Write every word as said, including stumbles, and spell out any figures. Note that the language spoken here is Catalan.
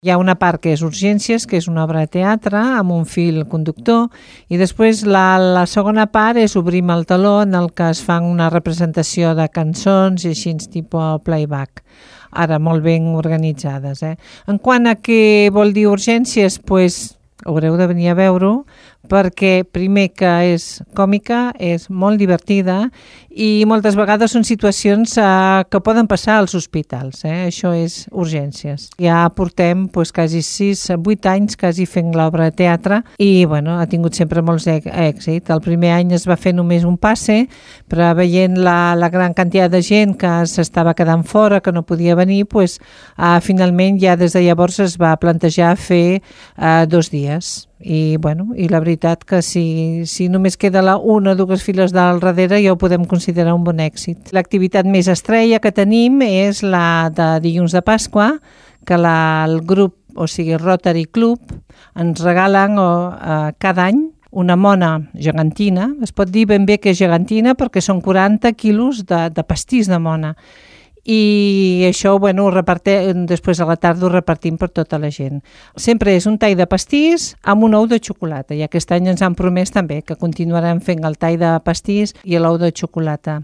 Hi ha una part que és Urgències, que és una obra de teatre amb un fil conductor, i després la, la segona part és Obrim el teló, en el que es fan una representació de cançons i així tipus playback, ara molt ben organitzades. Eh? En quant a què vol dir Urgències, doncs haureu de venir a veure-ho, perquè primer que és còmica, és molt divertida i moltes vegades són situacions eh, que poden passar als hospitals. Eh? Això és Urgències. Ja portem pues, quasi sis, vuit anys quasi fent l'obra de teatre i bueno, ha tingut sempre molts èxit. El primer any es va fer només un passe, però veient la, la gran quantitat de gent que s'estava quedant fora, que no podia venir, pues, eh, finalment ja des de llavors es va plantejar fer eh, dos dies. I, bueno, i la veritat que si, si només queda la una o dues files del darrere ja ho podem considerar un bon èxit. L'activitat més estrella que tenim és la de dilluns de Pasqua, que la, el grup, o sigui Rotary Club, ens regalen o, eh, cada any una mona gegantina. Es pot dir ben bé que és gegantina perquè són quaranta quilos de, de pastís de mona. I això, bueno, ho repartim, després a la tarda ho repartim per tota la gent. Sempre és un tall de pastís amb un ou de xocolata, i aquest any ens han promès també que continuarem fent el tall de pastís i l'ou de xocolata.